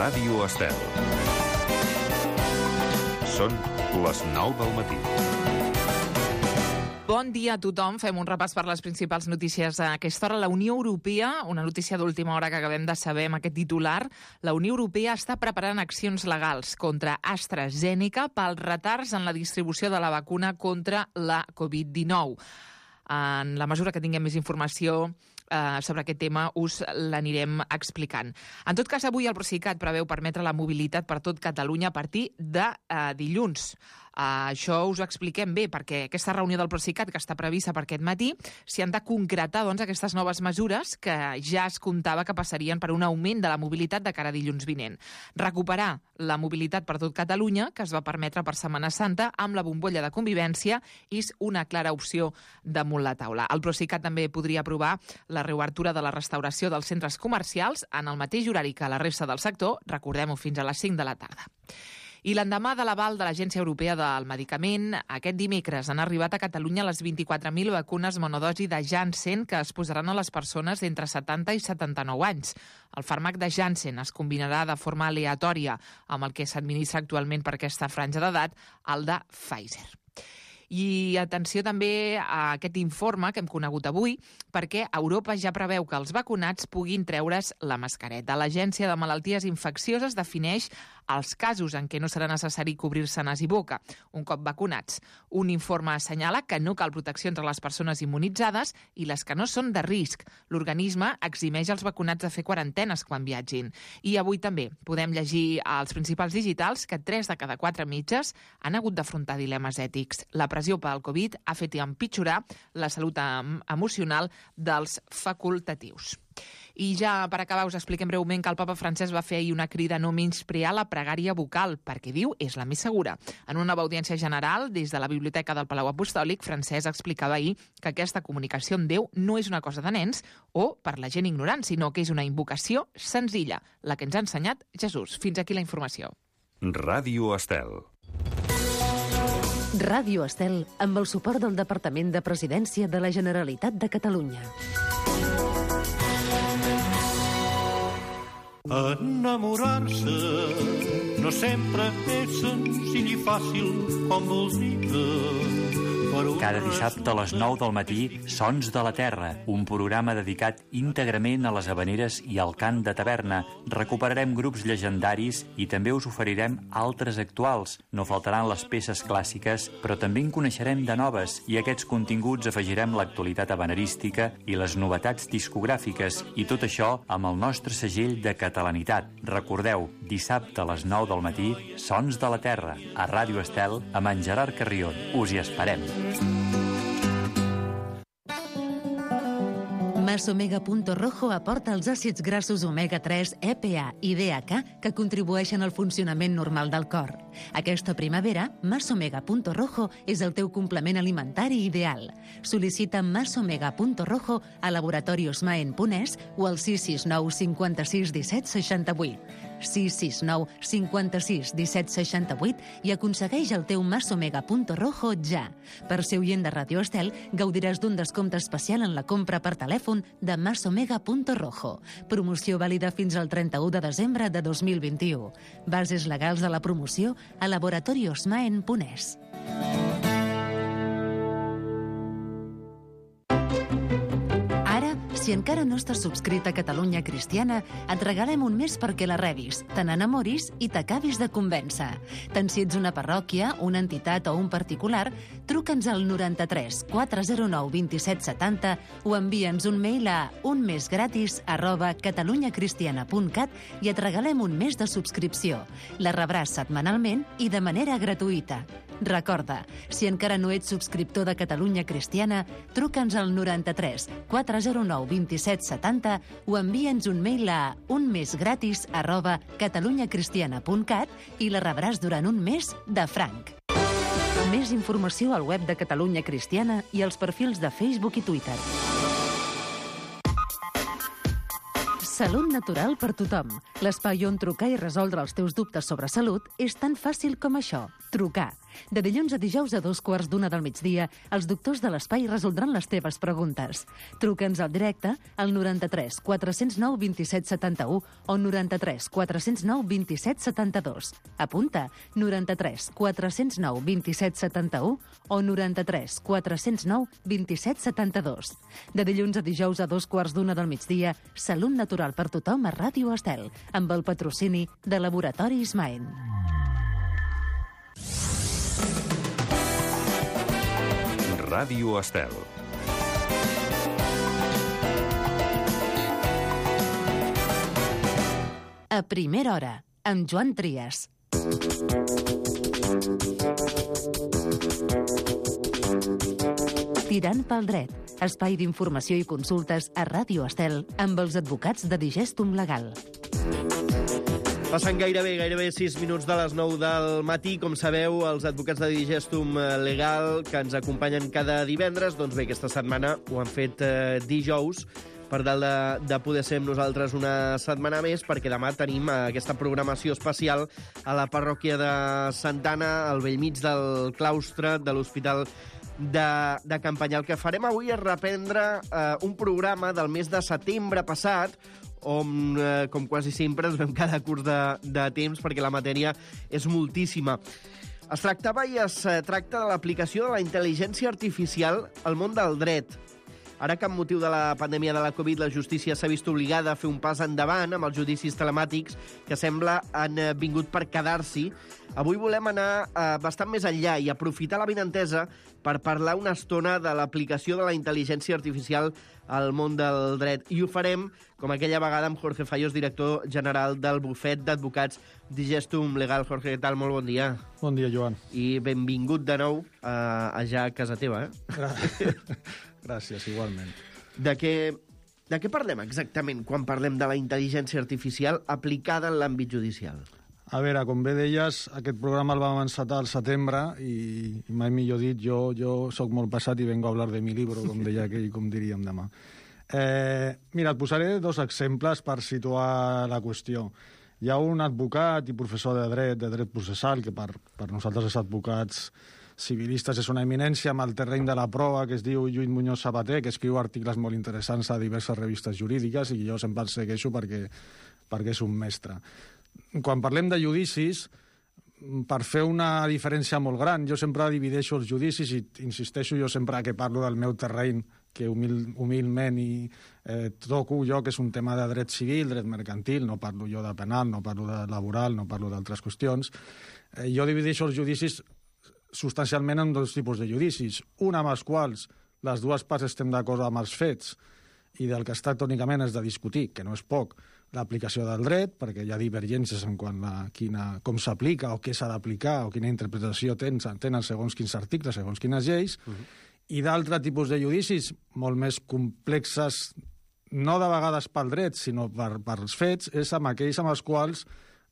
Ràdio Estel. Són les 9 del matí. Bon dia a tothom. Fem un repàs per les principals notícies a aquesta hora. La Unió Europea, una notícia d'última hora que acabem de saber amb aquest titular, la Unió Europea està preparant accions legals contra AstraZeneca pels retards en la distribució de la vacuna contra la Covid-19. En la mesura que tinguem més informació sobre aquest tema, us l'anirem explicant. En tot cas, avui el Procicat preveu permetre la mobilitat per tot Catalunya a partir de dilluns. Això us ho expliquem bé, perquè aquesta reunió del Procicat, que està prevista per aquest matí, s'hi han de concretar aquestes noves mesures que ja es comptava que passarien per un augment de la mobilitat de cara a dilluns vinent. Recuperar la mobilitat per tot Catalunya, que es va permetre per Setmana Santa, amb la bombolla de convivència, és una clara opció damunt la taula. El Procicat també podria aprovar la reobertura de la restauració dels centres comercials en el mateix horari que la resta del sector, recordem-ho, fins a les 5 de la tarda. I l'endemà de l'aval de l'Agència Europea del Medicament, aquest dimecres han arribat a Catalunya les 24.000 vacunes monodosi de Janssen que es posaran a les persones d'entre 70 i 79 anys. El fàrmac de Janssen es combinarà de forma aleatòria amb el que s'administra actualment per aquesta franja d'edat, el de Pfizer. I atenció també a aquest informe que hem conegut avui, perquè Europa ja preveu que els vacunats puguin treure's la mascareta. L'Agència de Malalties Infeccioses defineix els casos en què no serà necessari cobrir-se nas i boca, un cop vacunats. Un informe assenyala que no cal protecció entre les persones immunitzades i les que no són de risc. L'organisme eximeix els vacunats de fer quarantenes quan viatgin. I avui també podem llegir als principals digitals que 3 de cada 4 metges han hagut d'afrontar dilemes ètics. La pressió pel Covid ha fet empitjorar la salut emocional dels facultatius. I ja per acabar us expliquem breument que el papa Francesc va fer ahir una crida a no menysprear la pregària vocal, perquè diu és la més segura. En una nova audiència general, des de la Biblioteca del Palau Apostòlic, Francesc explicava ahir que aquesta comunicació amb Déu no és una cosa de nens o per la gent ignorant, sinó que és una invocació senzilla, la que ens ha ensenyat Jesús. Fins aquí la informació. Ràdio Estel. Ràdio Estel, amb el suport del Departament de Presidència de la Generalitat de Catalunya. Enamorar-se no sempre és senzill i fàcil com voldria. Cada dissabte a les 9 del matí, Sons de la Terra, un programa dedicat íntegrament a les havaneres i al cant de taverna. Recuperarem grups llegendaris i també us oferirem altres actuals. No faltaran les peces clàssiques, però també en coneixerem de noves i a aquests continguts afegirem l'actualitat havanerística i les novetats discogràfiques i tot això amb el nostre segell de catalanitat. Recordeu, dissabte a les 9 del matí, Sons de la Terra, a Ràdio Estel, amb en Gerard Carrion. Us hi esperem. Masomega.rojo aporta els àcids grassos omega-3, EPA i DHA que contribueixen al funcionament normal del cor. Aquesta primavera, Masomega.rojo és el teu complement alimentari ideal. Sol·licita Masomega.rojo a Laboratorios Maen Punès o al 669 56 17 68. 669 56 17 68 i aconsegueix el teu Masomega.rojo ja. Per ser oient de Ràdio Estel, gaudiràs d'un descompte especial en la compra per telèfon de Masomega.rojo. Promoció vàlida fins al 31 de desembre de 2021. Bases legals de la promoció a Laboratorios Maen Punès. Si encara no estàs subscrit a Catalunya Cristiana, et regalem un mes perquè la rebis, te n'enamoris i t'acabis de convèncer. Tant si ets una parròquia, una entitat o un particular, truca'ns al 93 409 27 70 o envia'ns un mail a unmesgratis@catalunyacristiana.cat i et regalem un mes de subscripció. La rebràs setmanalment i de manera gratuïta. Recorda, si encara no ets subscriptor de Catalunya Cristiana, truca'ns al 93 409 27 70 o envia'ns un mail a unmesgratis@catalunyacristiana.cat i la rebràs durant un mes de franc. Més informació al web de Catalunya Cristiana i als perfils de Facebook i Twitter. Salut natural per tothom. L'espai on trucar i resoldre els teus dubtes sobre salut és tan fàcil com això. Trucar. De dilluns a dijous a 2:15 del migdia, els doctors de l'Espai resoldran les teves preguntes. Truca'ns al directe al 93 409 27 71 o 93 409 27 72. Apunta, 93 409 27 71 o 93 409 27 72. De dilluns a dijous a 2:15 del migdia, Salut Natural per tothom a Ràdio Estel, amb el patrocini de Laboratoris Maen. Ràdio Estel. A primera hora, amb Joan Trias. Tirant pel dret, espai d'informació i consultes a Ràdio Estel amb els advocats de Digestum Legal. Passant gairebé 6 minuts de les 9 del matí. Com sabeu, els advocats de Digestum Legal, que ens acompanyen cada divendres, doncs bé, aquesta setmana ho han fet dijous, per tal de poder ser amb nosaltres una setmana més, perquè demà tenim aquesta programació especial a la parròquia de Santana, al bell mig del claustre de l'Hospital de Campanyà. El que farem avui és reprendre un programa del mes de setembre passat, on, com quasi sempre, ens vam quedar curts de temps perquè la matèria és moltíssima. Es tractava i es tracta de l'aplicació de la intel·ligència artificial al món del dret. Ara que amb motiu de la pandèmia de la Covid la justícia s'ha vist obligada a fer un pas endavant amb els judicis telemàtics que sembla han vingut per quedar-s'hi, avui volem anar bastant més enllà i aprofitar la benentesa per parlar una estona de l'aplicació de la intel·ligència artificial al món del dret. I ho farem, com aquella vegada, amb Jorge Fallos, director general del bufet d'advocats Digestum Legal. Jorge, què tal? Molt bon dia. Bon dia, Joan. I benvingut de nou ja a casa teva. Gràcies, igualment. De què parlem exactament quan parlem de la intel·ligència artificial aplicada en l'àmbit judicial? A veure, com bé deies, aquest programa el vam encetar al setembre i mai millor dit, jo soc molt passat i vengo a hablar de mi libro, com deia aquell, com diríem demà. Mira, et posaré 2 exemples per situar la qüestió. Hi ha un advocat i professor de dret processal, que per nosaltres els advocats civilistes és una eminència amb el terreny de la prova, que es diu Lluís Muñoz Sabater, que escriu articles molt interessants a diverses revistes jurídiques i jo sempre el segueixo perquè és un mestre. Quan parlem de judicis, per fer una diferència molt gran, jo sempre divideixo els judicis i insisteixo jo sempre que parlo del meu terreny, que humilment toco jo, que és un tema de dret civil, dret mercantil, no parlo jo de penal, no parlo de laboral, no parlo d'altres qüestions. Jo divideixo els judicis substancialment en 2 tipus de judicis, un amb els quals les dues parts estem d'acord amb els fets i del que es tracta únicament és de discutir, que no és poc, l'aplicació del dret, perquè hi ha divergències en quant a com s'aplica o què s'ha d'aplicar o quina interpretació tenen segons quins articles, segons quines lleis, i d'altres tipus de judicis molt més complexes, no de vegades pel dret, sinó pels fets, és amb aquells amb els quals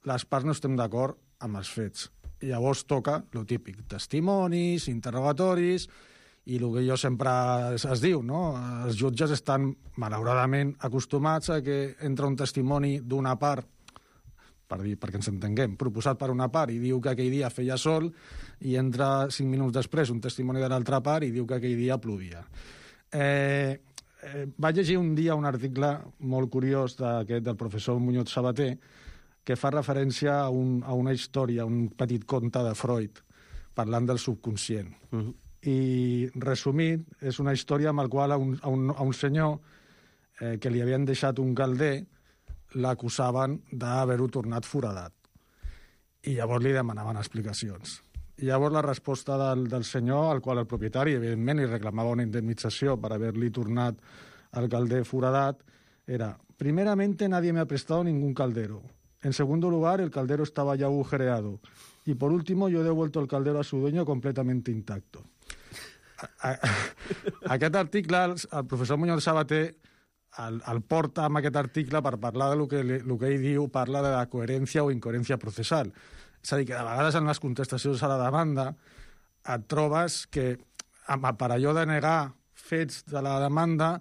les parts no estem d'acord amb els fets. I llavors toca lo típic, testimonis, interrogatoris, i el que jo sempre es diu, no? Els jutges estan malauradament acostumats a que entra un testimoni d'una part, perquè ens entenguem, proposat per una part i diu que aquell dia feia sol, i entra 5 minuts després un testimoni de l'altra part i diu que aquell dia plovia. Vaig llegir un dia un article molt curiós del professor Muñoz Sabater, que fa referència a una història, un petit conte de Freud, parlant del subconscient. I, resumit, és una història amb la qual a un senyor que li havien deixat un calder l'acusaven d'haver-ho tornat foradat. I llavors li demanaven explicacions. I llavors la resposta del senyor, al qual el propietari, evidentment, li reclamava una indemnització per haver-li tornat el calder foradat, era: primeramente nadie me ha prestado ningún caldero. En segundo lugar, el caldero estaba ya agujereado. Y por último, yo he devuelto el caldero a su dueño completamente intacto. Aquest article, el professor Muñoz Sabater el porta amb aquest article per parlar del que ell diu, parla de la coherència o incoherència processal. És a dir, que de vegades en les contestacions a la demanda et trobes que per allò de negar fets de la demanda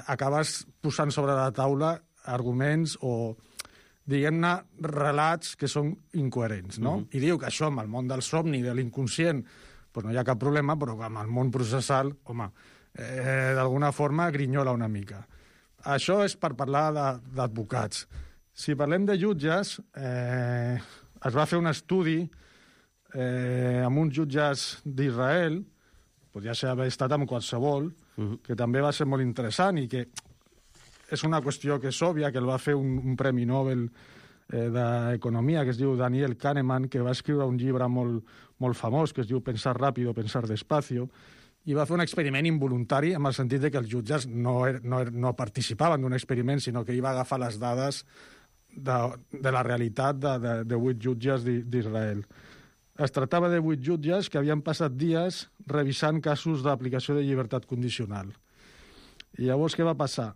acabes posant sobre la taula arguments o diguem-ne, relats que són incoherents, no? I diu que això amb el món del somni, de l'inconscient, pues no hi ha cap problema, però amb el món processal, home, d'alguna forma grinyola una mica. Això és per parlar d'advocats. Si parlem de jutges, es va fer un estudi amb uns jutges d'Israel, podria haver estat amb qualsevol, que també va ser molt interessant i que és una qüestió que és òbvia, que el va fer un Premi Nobel d'Economia, que es diu Daniel Kahneman, que va escriure un llibre molt famós, que es diu Pensar ràpido, pensar despacio, i va fer un experiment involuntari, en el sentit de que els jutges no participaven d'un experiment, sinó que ell va agafar les dades de la realitat de 8 jutges d'Israel. Es tractava de 8 jutges que havien passat dies revisant casos d'aplicació de llibertat condicional. I llavors què va passar?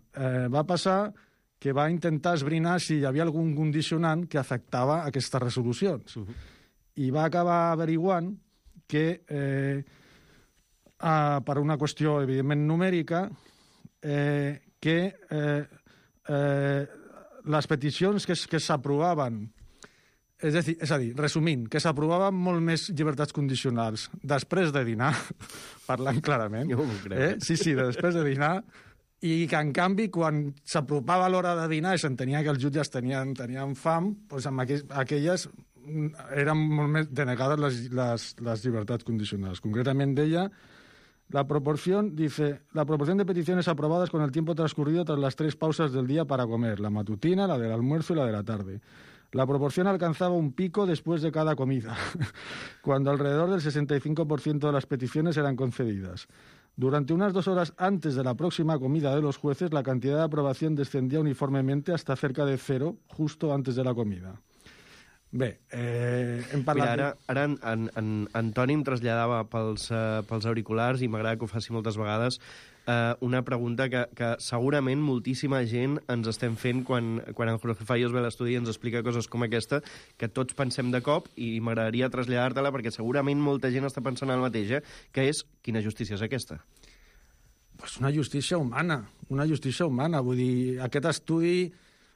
Va passar que va intentar esbrinar si hi havia algun condicionant que afectava aquestes resolucions. I va acabar averiguant que, per una qüestió, evidentment, numèrica, que les peticions que s'aprovaven, és a dir, resumint, que s'aprovaven molt més llibertats condicionals després de dinar, parlant clarament. Jo m'ho crec. Sí, després de dinar, i que, en canvi, quan s'apropava l'hora de dinar i s'entenia que els jutges tenien fam, doncs amb aquelles eren molt més denegades les llibertats condicionals. Concretament deia, la proporción de peticiones aprobadas con el tiempo transcurrido tras las 3 pausas del día para comer, la matutina, la del almuerzo y la de la tarde. La proporción alcanzaba un pico después de cada comida, cuando alrededor del 65% de las peticiones eran concedidas. Durante unas 2 horas antes de la próxima comida de los jueces, la cantidad de aprobación descendía uniformemente hasta cerca de 0, justo antes de la comida. Bé, hem parlat... Mira, ara en Toni em traslladava pels auriculars, i m'agrada que ho faci moltes vegades, una pregunta que segurament moltíssima gent ens estem fent quan en Jorge Fallos ve a l'estudi i ens explica coses com aquesta, que tots pensem de cop, i m'agradaria traslladar-te-la perquè segurament molta gent està pensant el mateix, que és, quina justícia és aquesta? Pues una justícia humana, vull dir, aquest estudi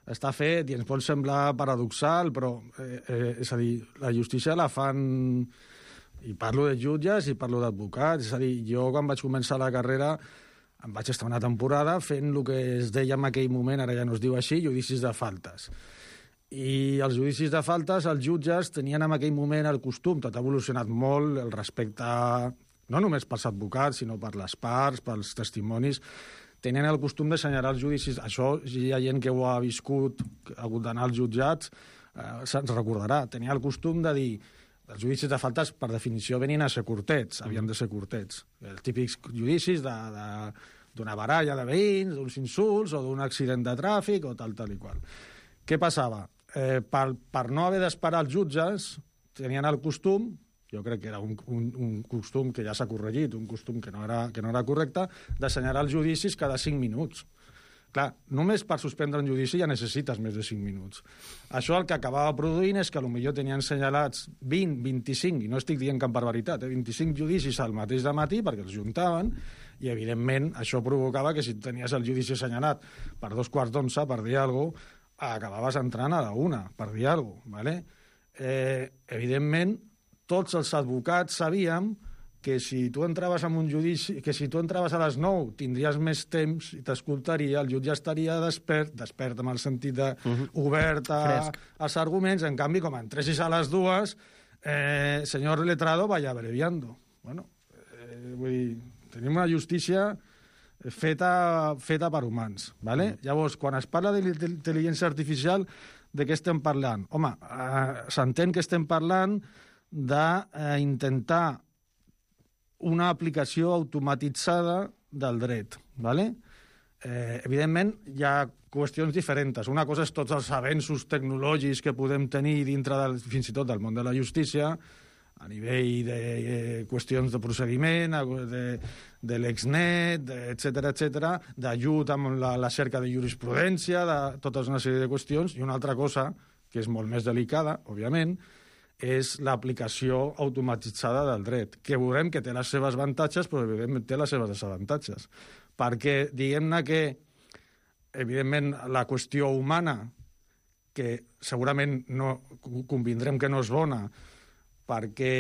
està fet i ens pot semblar paradoxal, però, és a dir, la justícia la fan... I parlo de jutges i parlo d'advocats. És a dir, jo quan vaig començar la carrera em vaig estar una temporada fent el que es deia en aquell moment, ara ja no es diu així, judicis de faltes. I els judicis de faltes, els jutges tenien en aquell moment el costum, tot ha evolucionat molt, el respecte no només pels advocats, sinó per les parts, pels testimonis, tenien el costum d'assenyalar els judicis. Això, hi ha gent que ho ha viscut, ha hagut d'anar als jutjats, se'ns recordarà. Tenia el costum de dir, els judicis de faltes, per definició, venien a ser curtets, havien de ser curtets. Els típics judicis d'una baralla de veïns, d'uns insults, o d'un accident de tràfic, o tal i qual. Què passava? Per no haver d'esperar els jutges, tenien el costum, jo crec que era un costum que ja s'ha corregit, un costum que no era correcte, d'assenyalar els judicis cada 5 minuts. Clar, només per suspendre un judici ja necessites més de 5 minuts. Això el que acabava produint és que potser tenien assenyalats 20, 25, i no estic dient cap barbaritat, 25 judicis al mateix dematí perquè els juntaven, i evidentment això provocava que si tenies el judici assenyalat per 11:15, per dir alguna cosa, acabaves entrant a la 1, per dir alguna cosa. ¿Vale? Evidentment, tots els advocats sabíem que si tu entraves en un judici, que si tu entraves a les 9 tindries més temps i t'escoltaria, el jutge estaria despert amb el sentit de obert als arguments. En canvi, com entressis a les 2, senyor letrado, vaya abreviando. Bueno, vull dir, tenim una justícia feta per humans, ¿vale? Llavors, quan es parla d'intel·ligència artificial, de què estem parlant? Home, s'entén que estem parlant d'intentar una aplicació automatitzada del dret, ¿vale? Evidentment, hi ha qüestions diferents. Una cosa és tots els avenços tecnològics que podem tenir dintre fins i tot del món de la justícia, a nivell de qüestions de procediment, de l'Exnet, etc., d'ajut amb la cerca de jurisprudència, de tota una sèrie de qüestions, i una altra cosa, que és molt més delicada, òbviament, és l'aplicació automatitzada del dret, que veurem que té les seves avantatges, però evidentment té les seves desavantatges. Perquè, diguem-ne que, evidentment, la qüestió humana que segurament no convindrem que no és bona perquè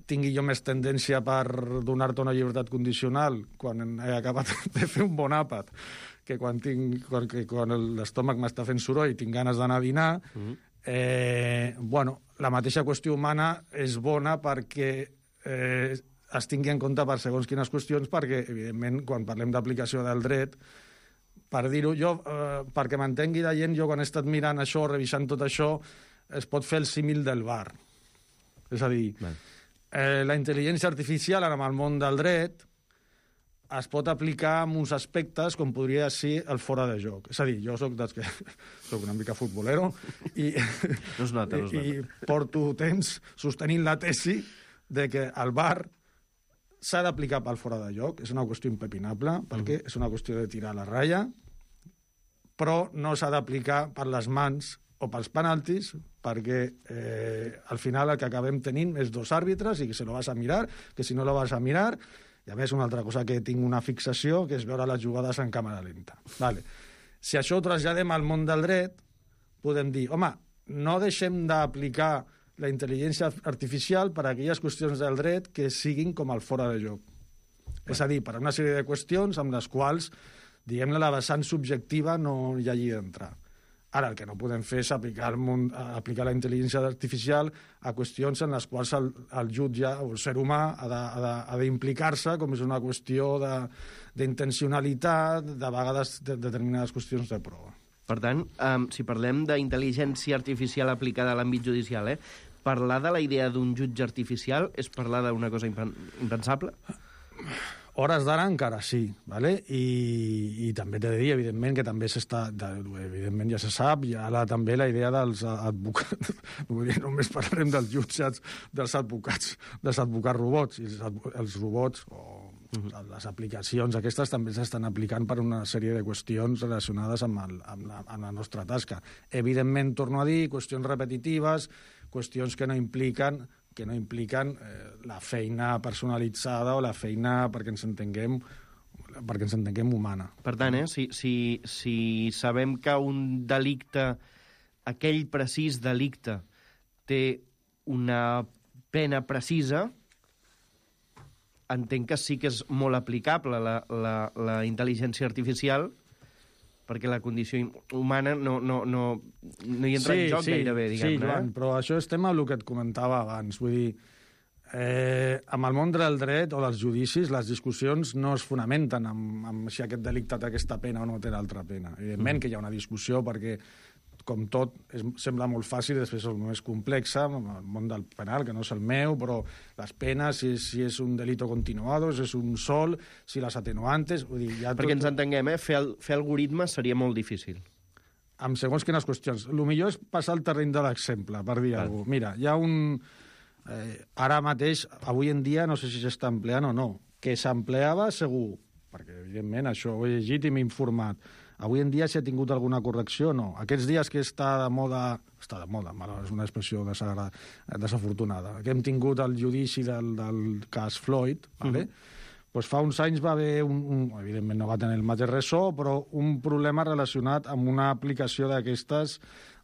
tingui jo més tendència per donar-te una llibertat condicional quan he acabat de fer un bon àpat que quan l'estómac m'està fent soroll i tinc ganes d'anar a dinar, la mateixa qüestió humana és bona perquè es tingui en compte per segons quines qüestions, perquè, evidentment, quan parlem d'aplicació del dret, per dir-ho jo, perquè m'entengui la gent, jo quan he estat mirant això, revisant tot això, es pot fer el símil del bar. És a dir, la intel·ligència artificial en el món del dret es pot aplicar en uns aspectes com podria ser el fora de joc. És a dir, jo soc una mica futbolero i porto temps sostenint la tesi de que el VAR s'ha d'aplicar pel fora de joc. És una qüestió impepinable, perquè és una qüestió de tirar la ratlla, però no s'ha d'aplicar per les mans o pels penaltis, perquè al final el que acabem tenint és dos àrbitres i que se lo vas a mirar, que si no lo vas a mirar. I a més, una altra cosa que tinc una fixació, que és veure les jugades en càmera lenta. Vale. Si això ho traslladem al món del dret, podem dir, home, no deixem d'aplicar la intel·ligència artificial per a aquelles qüestions del dret que siguin com el fora de joc. És a dir, per a una sèrie de qüestions amb les quals, diguem-ne, la vessant subjectiva no hi hagi d'entrar. Ara, el que no podem fer és aplicar la intel·ligència artificial a qüestions en les quals el jutge o el ser humà ha d'implicar-se, com és una qüestió d'intencionalitat, de vegades de determinades qüestions de prova. Per tant, si parlem d'intel·ligència artificial aplicada a l'àmbit judicial, parlar de la idea d'un jutge artificial és parlar d'una cosa impensable? Hores d'ara encara sí, ¿vale? I també t'he de dir, evidentment, que també evidentment ja se sap, i ara també la idea dels advocats, només parlarem dels jutjats, dels advocats robots, i els robots o les aplicacions aquestes també s'estan aplicant per una sèrie de qüestions relacionades amb la nostra tasca. Evidentment, torno a dir, qüestions repetitives, qüestions que no impliquen la feina personalitzada o la feina perquè ens entenguem humana. Per tant, si sabem que un delicte, aquell precís delicte, té una pena precisa, entenc que sí que és molt aplicable la intel·ligència artificial, perquè la condició humana no hi entra en joc gairebé, diguem-ne. Sí, Joan, però això estem amb el que et comentava abans. Vull dir, amb el món del dret o dels judicis, les discussions no es fonamenten amb si aquest delicte té aquesta pena o no té l'altra pena. Evidentment que hi ha una discussió perquè, com tot, sembla molt fàcil, després és més complexa, el món del penal, que no és el meu, però les penes, si és un delito continuado, si és un sol, si les atenuantes... Vull dir, perquè ens entenguem, fer algoritmes seria molt difícil. Amb segons quines qüestions. El millor és passar al terreny de l'exemple, per dir alguna cosa. Mira, hi ha un... ara mateix, avui en dia, no sé si s'està empleant o no, que s'empleava segur, perquè, evidentment, això ho he llegit i m'he informat. Avui en dia s'ha tingut alguna correcció o no? Aquests dies que està de moda, és una expressió desafortunada, que hem tingut el judici del cas Floyd, ¿vale? Pues fa uns anys va haver evidentment no va tenir el mateix ressò, però un problema relacionat amb una aplicació d'aquestes,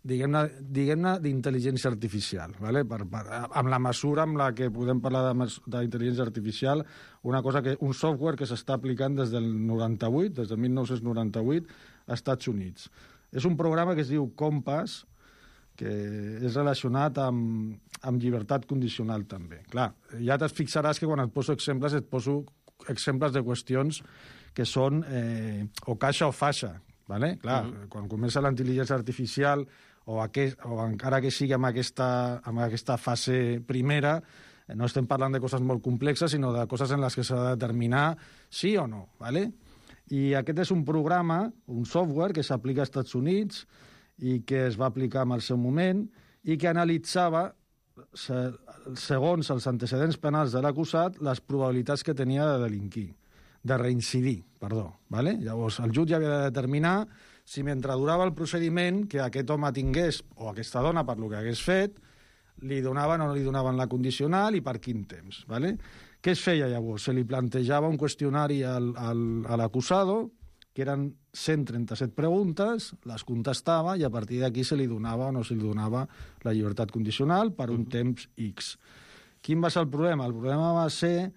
diguem-ne d'intel·ligència artificial, ¿vale? Amb la mesura amb la que podem parlar d'intel·ligència artificial, un software que s'està aplicant des del 98, des del 1998, als Estats Units. És un programa que es diu Compass, que és relacionat amb llibertat condicional també. Clar, ja et fixaràs que quan et poso exemples de qüestions que són o caixa o faixa, ¿vale? Clar, quan comença la intel·ligència artificial o encara que sigui amb aquesta fase primera, no estem parlant de coses molt complexes, sinó de coses en les que s'ha de determinar sí o no, ¿vale? I aquest és un programa, un software que s'aplica als Estats Units i que es va aplicar en el seu moment i que analitzava, segons els antecedents penals de l'acusat, les probabilitats que tenia de delinquir, de reincidir, ¿vale? Llavors, el jutge havia de determinar si mentre durava el procediment que aquest home tingués, o aquesta dona, per lo que hagués fet, li donaven o no li donaven la condicional i per quin temps, ¿vale? Què es feia llavors? Se li plantejava un qüestionari a l'acusado que eren 137 preguntes, les contestava i a partir d'aquí se li donava o no se li donava la llibertat condicional per un temps X. Quin va ser el problema? El problema va ser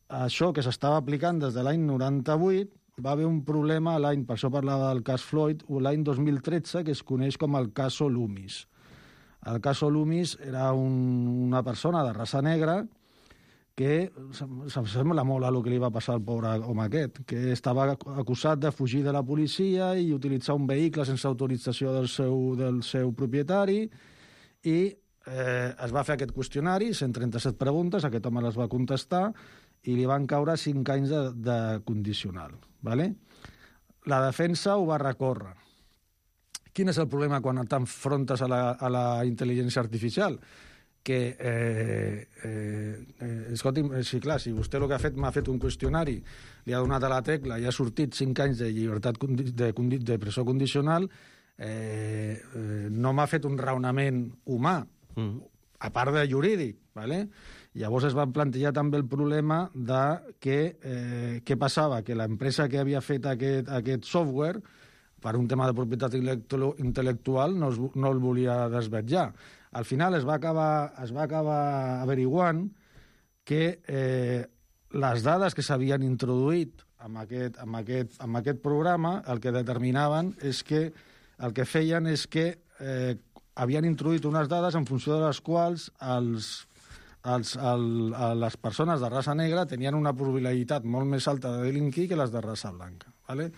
això que s'estava aplicant des de l'any 98, va haver un problema l'any, per això parlava del cas Floyd, l'any 2013, que es coneix com el caso Loomis. El caso Loomis era una persona de raça negra que se'm sembla molt a el que li va passar al pobre home aquest, que estava acusat de fugir de la policia i utilitzar un vehicle sense autorització del seu propietari i es va fer aquest qüestionari, 137 preguntes, aquest home les va contestar i li van caure 5 anys de condicional. ¿Vale? La defensa ho va recórrer. Quin és el problema quan t'enfrontes a la intel·ligència artificial? Que, escolti'm, sí, clar, si vostè el que ha fet m'ha fet un qüestionari, li ha donat a la tecla i ha sortit 5 anys de llibertat de presó condicional, no m'ha fet un raonament humà, a part de jurídic, ¿vale? Llavors es va plantejar també el problema de què passava, que l'empresa que havia fet aquest software, per un tema de propietat intel·lectual, no el volia desvetllar. Al final es va acabar averiguant que les dades que s'havien introduït amb aquest programa el que determinaven és que el que feien és que havien introduït unes dades en funció de les quals les persones de raça negra tenien una probabilitat molt més alta de delinquir que les de raça blanca. ¿Vale?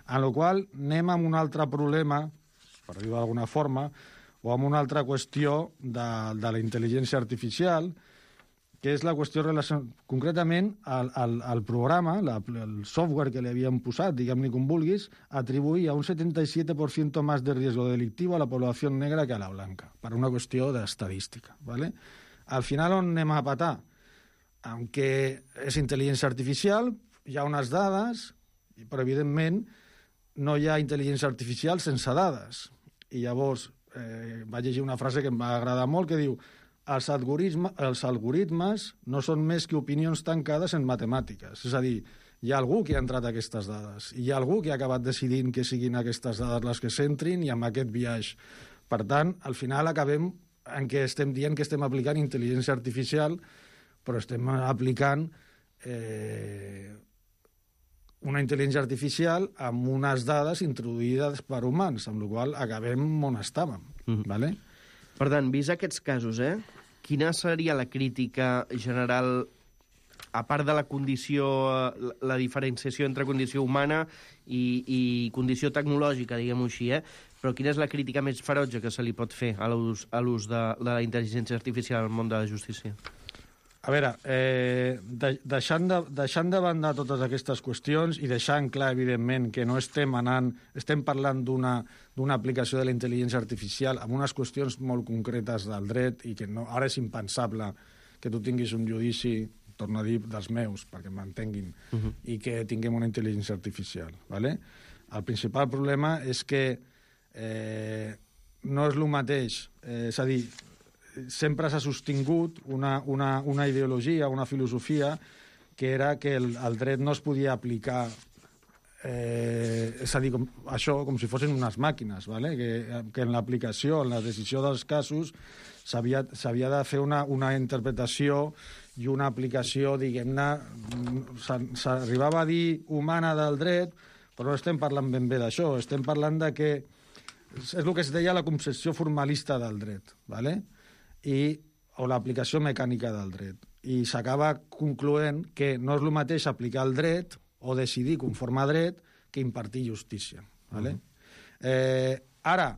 En la qual anem amb un altre problema, per dir-ho d'alguna forma, o amb una altra qüestió de la intel·ligència artificial, que és la qüestió concretament el programa, el software que li havien posat, diguem-li com vulguis, atribuïa un 77% més de riesgo delictiu a la població negra que a la blanca, per una qüestió d'estadística. ¿Vale? Al final on anem a patar? Aunque és intel·ligència artificial, hi ha unes dades, però evidentment no hi ha intel·ligència artificial sense dades. I llavors vaig llegir una frase que em va agradar molt, que diu: els algoritmes no són més que opinions tancades en matemàtiques. És a dir, hi ha algú que ha entrat a aquestes dades, i hi ha algú que ha acabat decidint que siguin aquestes dades les que s'entrin i amb aquest biaix. Per tant, al final acabem en què estem dient que estem aplicant intel·ligència artificial, però estem aplicant una intel·ligència artificial amb unes dades introduïdes per humans, amb la qual cosa acabem on estàvem. ¿Vale? Per tant, vist aquests casos, quina seria la crítica general, a part de la condició, la diferenciació entre condició humana i condició tecnològica, diguem-ho així, però quina és la crítica més ferotge que se li pot fer a l'ús de la intel·ligència artificial al món de la justícia? A veure, deixant de banda totes aquestes qüestions i deixant clar, evidentment, que no estem parlant d'una aplicació de la intel·ligència artificial amb unes qüestions molt concretes del dret i que ara és impensable que tu tinguis un judici, torno a dir, dels meus, perquè m'entenguin, i que tinguem una intel·ligència artificial. ¿Vale? El principal problema és que no és el mateix, és a dir, sempre s'ha sostingut una ideologia, una filosofia, que era que el dret no es podia aplicar, és a dir, com si fossin unes màquines, ¿vale? Que en l'aplicació, en la decisió dels casos, s'havia de fer una interpretació i una aplicació, diguem-ne, s'arribava a dir humana del dret, però no estem parlant ben bé d'això, estem parlant de que és el que es deia la concepció formalista del dret, ¿vale? O l'aplicació mecànica del dret. I s'acaba concloent que no és el mateix aplicar el dret o decidir conforme a dret que impartir justícia. ¿Vale? Ara,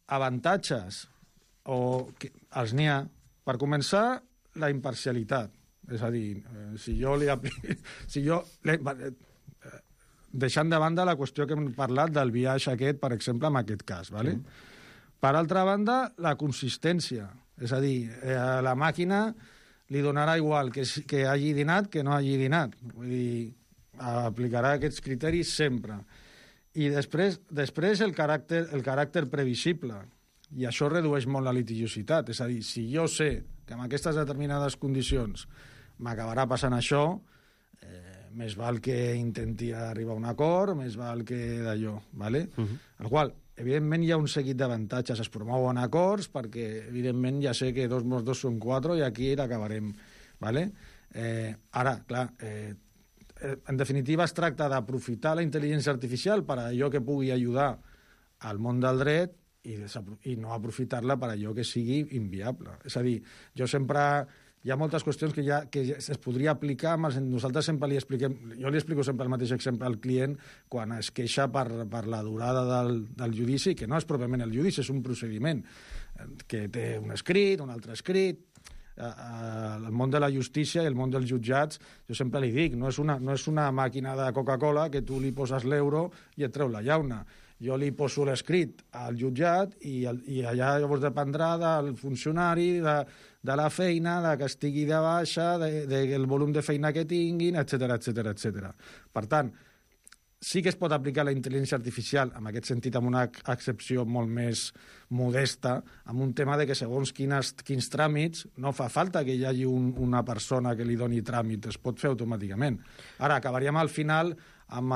avantatges, els n'hi ha. Per començar, la imparcialitat. És a dir, deixant de banda la qüestió que hem parlat del biaix aquest, per exemple, en aquest cas. ¿Vale? Per altra banda, la consistència. És a dir, a la màquina li donarà igual que hagi dinat que no hagi dinat. Vull dir, aplicarà aquests criteris sempre. I després el caràcter previsible. I això redueix molt la litigiositat. És a dir, si jo sé que amb aquestes determinades condicions m'acabarà passant això, més val que intenti arribar a un acord, més val que d'allò, ¿vale? El qual, evidentment, hi ha un seguit d'avantatges. Es promouen acords perquè, evidentment, ja sé que 2 més 2 són 4 i aquí l'acabarem, ¿vale? Ara, clar, en definitiva es tracta d'aprofitar la intel·ligència artificial per a allò que pugui ajudar al món del dret i no aprofitar-la per a allò que sigui inviable. És a dir, jo sempre... Hi ha moltes qüestions que es podria aplicar, nosaltres sempre li expliquem, jo li explico sempre el mateix exemple al client quan es queixa per la durada del judici, que no és pròpiament el judici, és un procediment que té un escrit, un altre escrit. El món de la justícia i el món dels jutjats, jo sempre li dic, no és una màquina de Coca-Cola que tu li poses l'euro i et treu la llauna. Jo li poso l'escrit al jutjat i allà llavors dependrà del funcionari, de la feina, que estigui de baixa, del volum de feina que tinguin, etc. Per tant, sí que es pot aplicar la intel·ligència artificial, en aquest sentit amb una excepció molt més modesta, amb un tema de que segons quins tràmits no fa falta que hi hagi una persona que li doni tràmit, es pot fer automàticament. Ara, acabaríem al final amb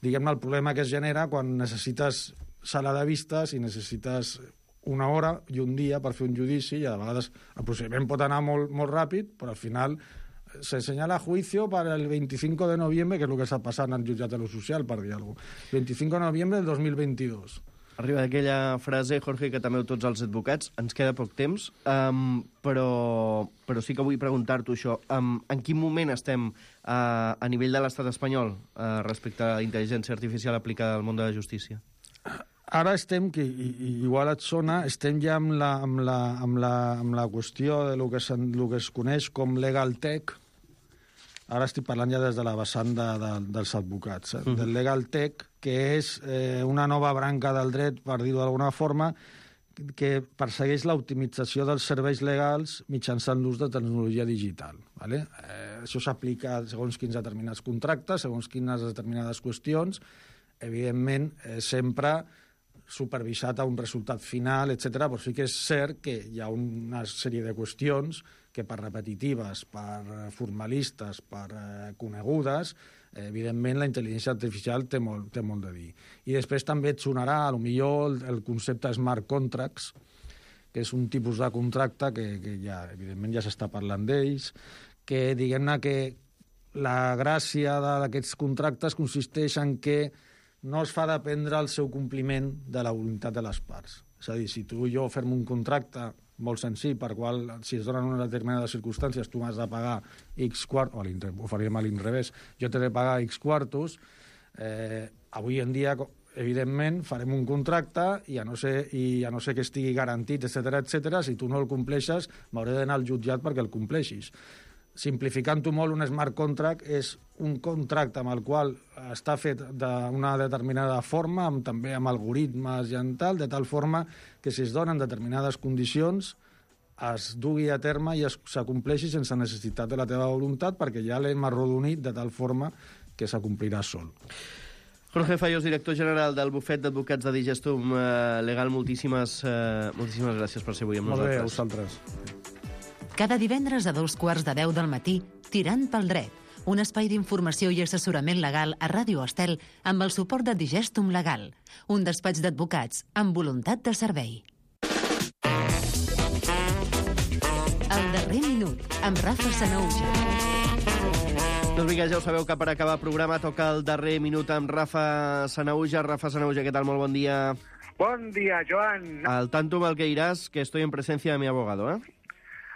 diguem-ne, el problema que es genera quan necessites sala de vistes i necessites una hora i un dia per fer un judici i a vegades el procediment pot anar molt ràpid, però al final se señala juicio para el 25 de noviembre, que és el que està passant al jutjat de lo social, per dir alguna cosa. 25 de noviembre del 2022. Arriba aquella frase, Jorge, que també tots els advocats, ens queda poc temps, però sí que vull preguntar-t'ho això. En quin moment estem a nivell de l'estat espanyol respecte a la intel·ligència artificial aplicada al món de la justícia? Ara estem, que igual et sona, estem ja amb la qüestió de lo que es coneix com legal tech. Ara estic parlant ja des de la vessant dels advocats, del legal tech, que és una nova branca del dret, per dir-ho d'alguna forma, que persegueix l'optimització dels serveis legals mitjançant l'ús de tecnologia digital. ¿Vale? Això s'aplica segons quins determinats contractes, segons quines determinades qüestions, evidentment sempre supervisat a un resultat final, etc. Però sí que és cert que hi ha una sèrie de qüestions que per repetitives, per formalistes, per conegudes, evidentment la intel·ligència artificial té molt de dir. I després també et sonarà, potser el concepte smart contracts, que és un tipus de contracte que ja, evidentment, ja s'està parlant d'ells, que diguem-ne que la gràcia d'aquests contractes consisteix en que no es fa dependre el seu compliment de la voluntat de les parts. És a dir, si tu i jo fem un contracte molt senzill per qual, si es donen unes determinades circumstàncies, tu m'has de pagar X quartos, ho faríem a l'inrevés, jo t'he de pagar X quartos, avui en dia, evidentment, farem un contracte i a no ser que estigui garantit, etc., si tu no el compleixes, m'hauré d'anar al jutjat perquè el compleixis. Simplificant-ho molt, un smart contract és un contracte amb el qual està fet d'una determinada forma, també amb algoritmes i en tal, de tal forma que si es donen determinades condicions es dugui a terme i s'acompleixi sense necessitat de la teva voluntat perquè ja l'hem arrodonit de tal forma que s'acomplirà sol. Jorge Fallos, director general del bufet d'advocats de Digestum Legal, moltíssimes gràcies per ser avui amb nosaltres. Molt bé, a vosaltres. Cada divendres a 2:15 del matí, Tirant pel dret, un espai d'informació i assessorament legal a Ràdio Estel amb el suport de Digestum Legal, un despatx d'advocats amb voluntat de servei. El darrer minut, amb Rafa Sanauja. Doncs vinga, ja ho sabeu que per acabar el programa toca el darrer minut amb Rafa Sanauja. Rafa Sanauja, què tal? Molt bon dia. Bon dia, Joan. Al tanto mal que iràs, que estoy en presencia de mi abogado, ¿eh?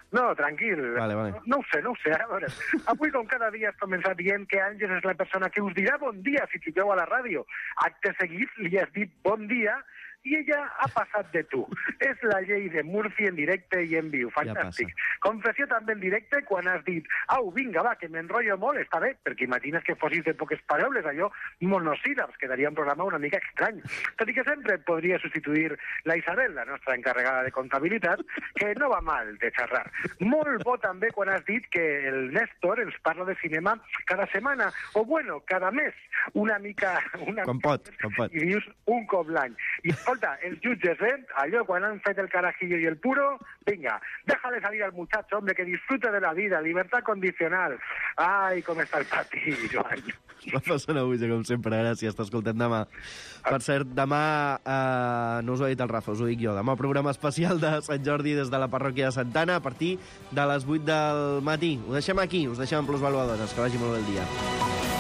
No, tranquil. Vale. No ho sé. A veure, avui, com cada dia, has començat dient que Àngels és la persona que us dirà bon dia si truqueu a la ràdio. Acte seguit li has dit bon dia i ella ha passat de tu. És la llei de Murphy en directe i en viu. Fantàstic. Ja confessió també en directe quan has dit au, vinga, va, que m'enrotllo molt, està bé, perquè imagines que fossis de poques paraules, allò monosíl·labs, quedaria un programa una mica estrany. Tot i que sempre podria substituir la Isabel, la nostra encarregada de comptabilitat, que no va mal de xerrar. Molt bo també quan has dit que el Néstor ens parla de cinema cada setmana, o bueno, cada mes, una mica... Com pot. I dius un cop l'any. I escolta, escolta, els jutges, allò, quan han fet el carajillo y el puro, venga, déjale salir al muchacho, hombre, que disfrute de la vida, libertad condicional. Ai, com està el pati, Joan. Rafa Sanahuja, com sempre, gràcies, t'escoltem demà. Per cert, demà, no us ho ha dit el Rafa, us ho dic jo, demà programa especial de Sant Jordi des de la parròquia de Santana a partir de les 8 del matí. Ho deixem aquí, us deixem en Plusvaluadores, que vagi molt bé el dia.